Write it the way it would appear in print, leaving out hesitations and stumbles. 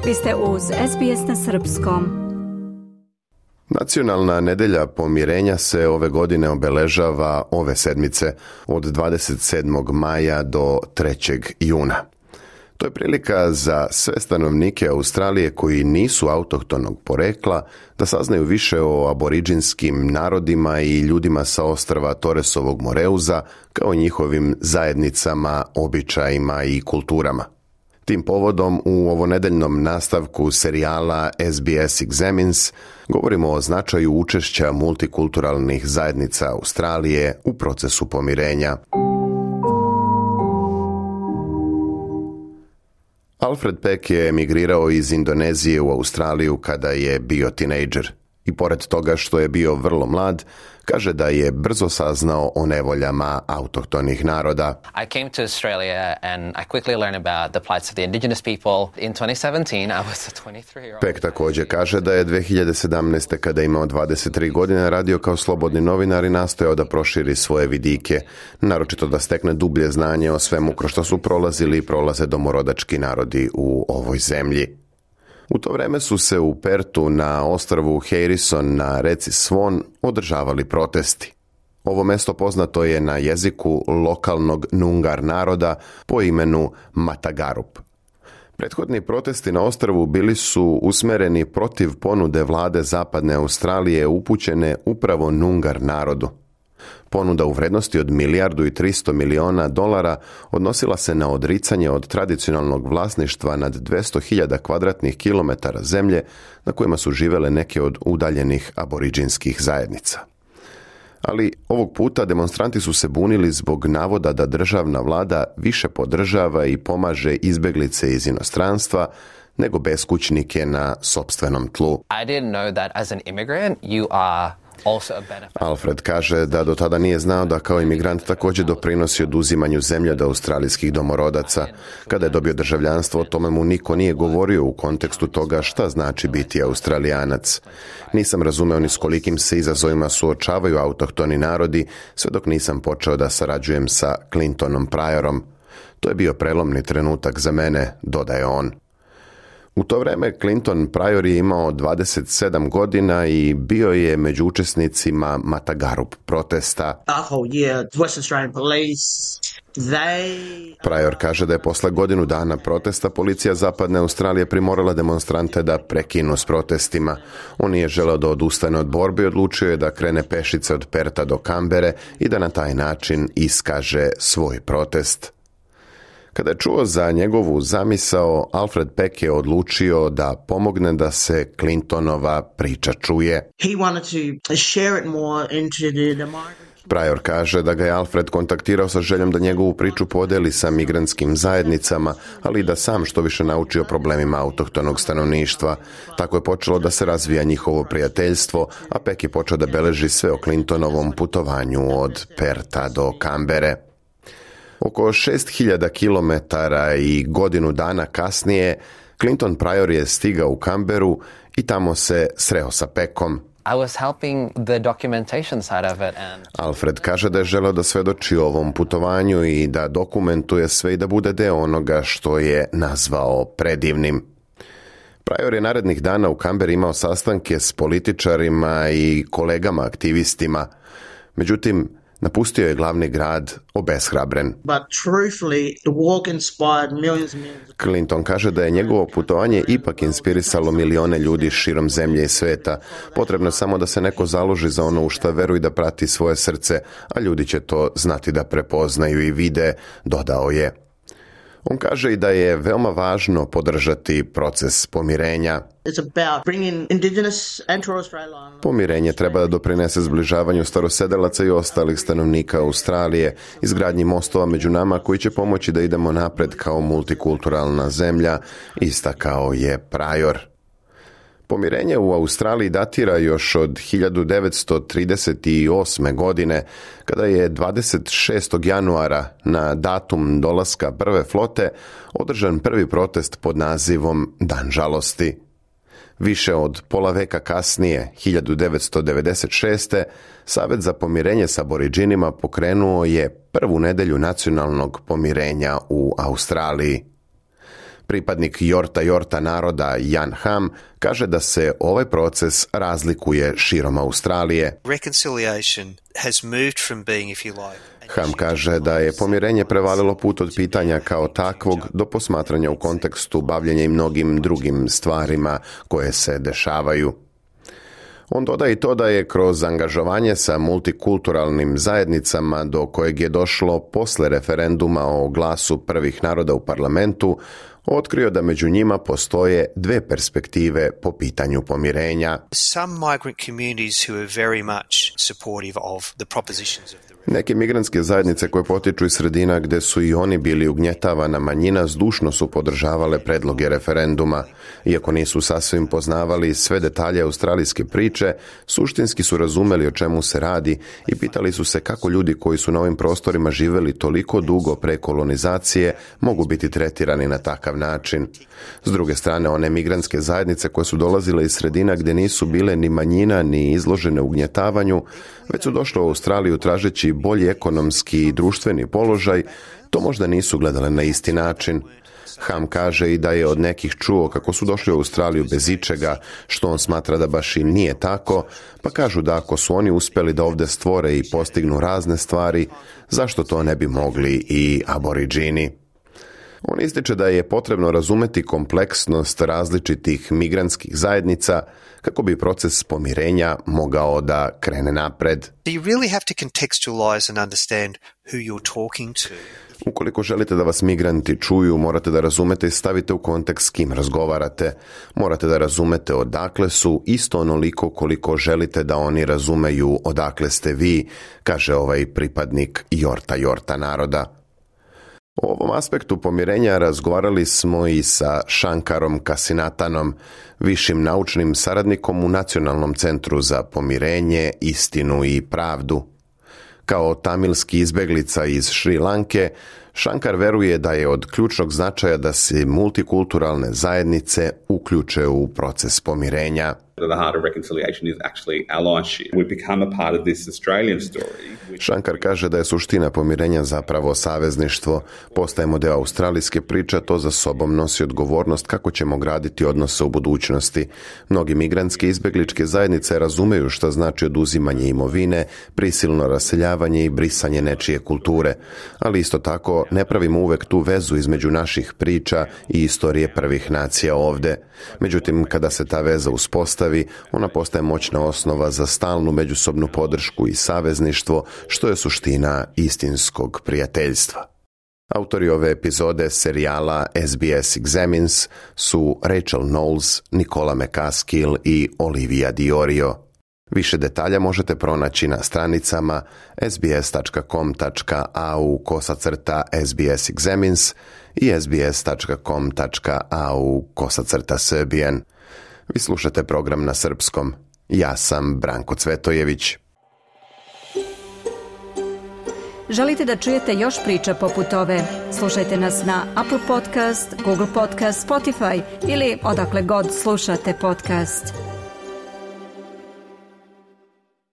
Vi ste uz SBS na srpskom. Nacionalna nedelja pomirenja se ove godine obeležava ove sedmice od 27. maja do 3. juna. To je prilika za sve stanovnike Australije koji nisu autohtonog porekla da saznaju više o aboriđinskim narodima i ljudima sa ostrva Torresovog Moreuza, kao njihovim zajednicama, običajima i kulturama. Tim povodom u ovonedeljnom nastavku serijala SBS Examines govorimo o značaju učešća multikulturalnih zajednica Australije u procesu pomirenja. Alfred Peck je emigrirao iz Indonezije u Australiju kada je bio tinejdžer i pored toga što je bio vrlo mlad, kaže da je brzo saznao o nevoljama autohtonih naroda. I came to Australia and I quickly learned about the plights of the indigenous people. In 2017, I was a 23-year-old. Peck također kaže da je 2017. kada je imao 23 godine radio kao slobodni novinar i nastojao da proširi svoje vidike, naročito da stekne dublje znanje o svemu kroz što su prolazili i prolaze domorodački narodi u ovoj zemlji. U to vreme su se u Pertu na ostrvu Harrison na reci Swan održavali protesti. Ovo mesto poznato je na jeziku lokalnog Noongar naroda po imenu Matagarup. Prethodni protesti na ostrvu bili su usmereni protiv ponude vlade Zapadne Australije upućene upravo Noongar narodu. Ponuda u vrednosti od $1,3 odnosila se na odricanje od tradicionalnog vlasništva nad 200.000 kvadratnih kilometara zemlje na kojima su živele neke od udaljenih aboriđinskih zajednica. Ali ovog puta demonstranti su se bunili zbog navoda da državna vlada više podržava i pomaže izbeglice iz inostranstva nego beskućnike na sopstvenom tlu. I didn't know that as an immigrant you are Alfred kaže da do tada nije znao da kao imigrant također doprinosi oduzimanju zemlje od australijskih domorodaca. Kada je dobio državljanstvo, o tome mu niko nije govorio u kontekstu toga šta znači biti Australijanac. Nisam razumeo ni s kolikim se izazovima suočavaju autohtoni narodi, sve dok nisam počeo da sarađujem sa Clintonom Pryorom. To je bio prelomni trenutak za mene, dodaje on. U to vreme Clinton Pryor je imao 27 godina i bio je među učesnicima Matagarup protesta. Pryor kaže da je posle godinu dana protesta policija Zapadne Australije primorala demonstrante da prekinu s protestima. On nije želeo da odustane od borbe i odlučio je da krene pešice od Perta do Kambere i da na taj način iskaže svoj protest. Kada je čuo za njegovu zamisao, Alfred Peck je odlučio da pomogne da se Clintonova priča čuje. Pryor kaže da ga je Alfred kontaktirao sa željom da njegovu priču podeli sa migrantskim zajednicama, ali i da sam što više nauči o problemima autohtonog stanovništva. Tako je počelo da se razvija njihovo prijateljstvo, a Peck je počeo da beleži sve o Clintonovom putovanju od Perta do Kambere. Oko 6.000 kilometara i godinu dana kasnije, Clinton Pryor je stigao u Kamberu i tamo se sreo sa Peckom. Alfred kaže da je želeo da svedoči o ovom putovanju i da dokumentuje sve i da bude deo onoga što je nazvao predivnim. Pryor je narednih dana u Kamberi imao sastanke s političarima i kolegama aktivistima. Međutim, napustio je glavni grad obeshrabren. Clinton kaže da je njegovo putovanje ipak inspirisalo milione ljudi širom zemlje i sveta. Potrebno je samo da se neko založi za ono u šta veruje i da prati svoje srce, a ljudi će to znati da prepoznaju i vide, dodao je. On kaže i da je veoma važno podržati proces pomirenja. Pomirenje treba da doprinese zbližavanju starosedelaca i ostalih stanovnika Australije, izgradnji mostova među nama koji će pomoći da idemo napred kao multikulturalna zemlja, istakao je Pryor. Pomirenje u Australiji datira još od 1938. godine, kada je 26. januara na datum dolaska prve flote održan prvi protest pod nazivom Dan žalosti. Više od pola veka kasnije, 1996. Savet za pomirenje s aboriđinima pokrenuo je prvu nedelju nacionalnog pomirenja u Australiji. Pripadnik Yorta naroda Jan Ham kaže da se ovaj proces razlikuje širom Australije. Ham kaže da je pomirenje prevalilo put od pitanja kao takvog do posmatranja u kontekstu bavljenja i mnogim drugim stvarima koje se dešavaju. On dodaje i to da je kroz angažovanje sa multikulturalnim zajednicama do kojeg je došlo posle referenduma o glasu prvih naroda u parlamentu, otkrio da među njima postoje dve perspektive po pitanju pomirenja. Neke migrantske zajednice koje potiču iz sredina gde su i oni bili ugnjetavana manjina zdušno su podržavale predloge referenduma. Iako nisu sasvim poznavali sve detalje australijske priče, suštinski su razumeli o čemu se radi i pitali su se kako ljudi koji su na ovim prostorima živeli toliko dugo pre kolonizacije mogu biti tretirani na takav način. S druge strane, one migrantske zajednice koje su dolazile iz sredina gde nisu bile ni manjina ni izložene ugnjetavanju, već su došle u Australiju tražeći bolji ekonomski i društveni položaj, to možda nisu gledale na isti način. Ham kaže i da je od nekih čuo kako su došli u Australiju bez ičega, što on smatra da baš i nije tako, pa kažu da ako su oni uspjeli da ovdje stvore i postignu razne stvari, zašto to ne bi mogli i aboriđini? On ističe da je potrebno razumeti kompleksnost različitih migrantskih zajednica kako bi proces pomirenja mogao da krene napred. Ukoliko želite da vas migranti čuju, morate da razumete i stavite u kontekst s kim razgovarate. Morate da razumete odakle su isto onoliko koliko želite da oni razumeju odakle ste vi, kaže ovaj pripadnik Yorta naroda. O ovom aspektu pomirenja razgovarali smo i sa Shankarom Kasinatanom, višim naučnim saradnikom u Nacionalnom centru za pomirenje, istinu i pravdu. Kao tamilski izbeglica iz Šri Lanke, Shankar veruje da je od ključnog značaja da se multikulturalne zajednice uključe u proces pomirenja. Shankar kaže da je suština pomirenja zapravo savezništvo. Postajemo deo australijske priče, to za sobom nosi odgovornost kako ćemo graditi odnose u budućnosti. Mnogi migrantske izbegličke zajednice razumeju šta znači oduzimanje imovine, prisilno raseljavanje i brisanje nečije kulture. Ali isto tako ne pravimo uvek tu vezu između naših priča i istorije prvih nacija ovde. Međutim, kada se ta veza uspostavi, ona postaje moćna osnova za stalnu međusobnu podršku i savezništvo, što je suština istinskog prijateljstva. Autori ove epizode serijala SBS Examines su Rachel Knowles, Nicola McCaskill i Olivia Diorio. Više detalja možete pronaći na stranicama sbs.com.au/SBS Examines i sbs.com.au/Serbian. Vi slušate program na srpskom. Ja sam Branko Cvetojević. Želite da čujete još priča poput ove? Slušajte nas na Apple Podcast, Google Podcast, Spotify ili odakle god slušate podcast.